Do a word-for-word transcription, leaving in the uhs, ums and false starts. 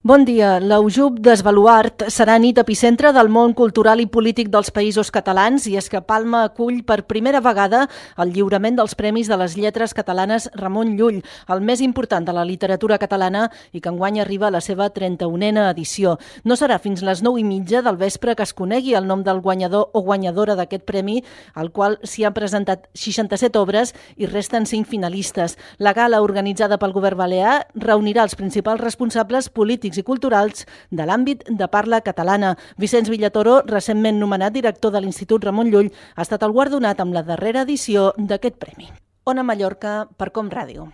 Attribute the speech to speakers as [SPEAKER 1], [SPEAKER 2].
[SPEAKER 1] Bon dia. L'Aujub d'Esbaluart serà nit epicentre del món cultural i polític dels Països Catalans i és que Palma acull per primera vegada el lliurament dels Premis de les Lletres Catalanes Ramon Llull, el més important de la literatura catalana i que enguany arriba a la seva trenta-unena edició. No serà fins les nou i mitja del vespre que es conegui el nom del guanyador o guanyadora d'aquest premi, al qual s'hi han presentat seixanta-set obres i resten cinc finalistes. La gala, organitzada pel govern balear, reunirà els principals responsables polítics i culturals de l'àmbit de parla catalana. Vicenç Villatoro, recentment nomenat director de l'Institut Ramon Llull, ha estat el guardonat amb la darrera edició d'aquest premi. Ona Mallorca, per Com Ràdio.